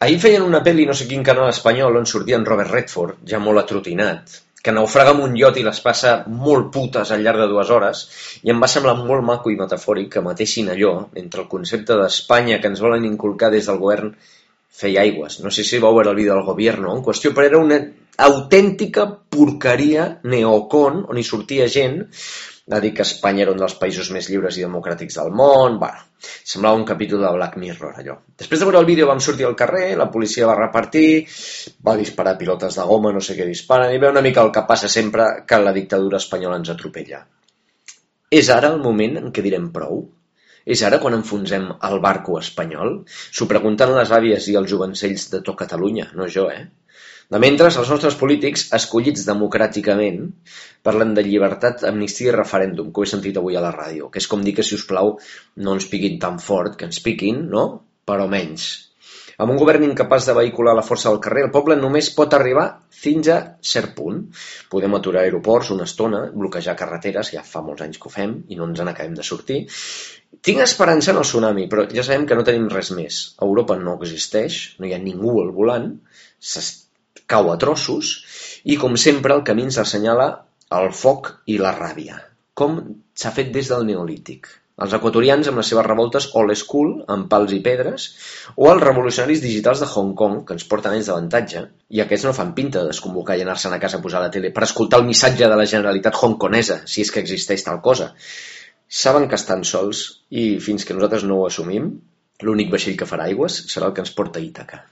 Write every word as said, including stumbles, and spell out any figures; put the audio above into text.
Ahir feien una pel·li, no sé quin canal espanyol, on sortia en Robert Redford, ja molt atrotinat, que naufraga amb un iot i les passa molt putes al llarg de dues hores, i em va semblar molt maco i metafòric que matessin allò, entre el concepte d'Espanya que ens volen inculcar des del govern, feia aigües. No sé si vau veure el vídeo del Gobierno en qüestió, però era una autèntica porqueria neocon, on hi sortia gent a dir que Espanya era un dels països més lliures i democràtics del món. Bueno, semblava un capítol de Black Mirror, allò. Després de veure el vídeo vam sortir al carrer, la policia va repartir, va disparar pilotes de goma, no sé què disparen, i veu una mica el que passa sempre que la dictadura espanyola ens atropella. És ara el moment en què direm prou? És ara quan enfonsem el barco espanyol? S'ho pregunten les àvies i els jovencells de tot Catalunya, no jo, eh? De mentre, els nostres polítics, escollits democràticament, parlen de llibertat, amnistia i referèndum, que ho he sentit avui a la ràdio, que és com dir que, si us plau, no ens piquin tan fort, que ens piquin, no? Però menys. Amb un govern incapaç de vehicular la força del carrer, el poble només pot arribar fins a cert punt. Podem aturar aeroports una estona, bloquejar carreteres, ja fa molts anys que ho fem, i no ens n'acabem de sortir. Tinc esperança en el tsunami, però ja sabem que no tenim res més. Europa no existeix, no hi ha ningú al volant, s'està cau a trossos, i com sempre el camí ens assenyala el foc i la ràbia, com s'ha fet des del Neolític. Els equatorians amb les seves revoltes old school, amb pals i pedres, o els revolucionaris digitals de Hong Kong, que ens porten anys d'avantatge, i aquests no fan pinta de desconvocar i anar-se'n a casa a posar la tele per escoltar el missatge de la Generalitat hongkonesa, si és que existeix tal cosa. Saben que estan sols, i fins que nosaltres no ho assumim, l'únic vaixell que farà aigües serà el que ens porta a Ítaca.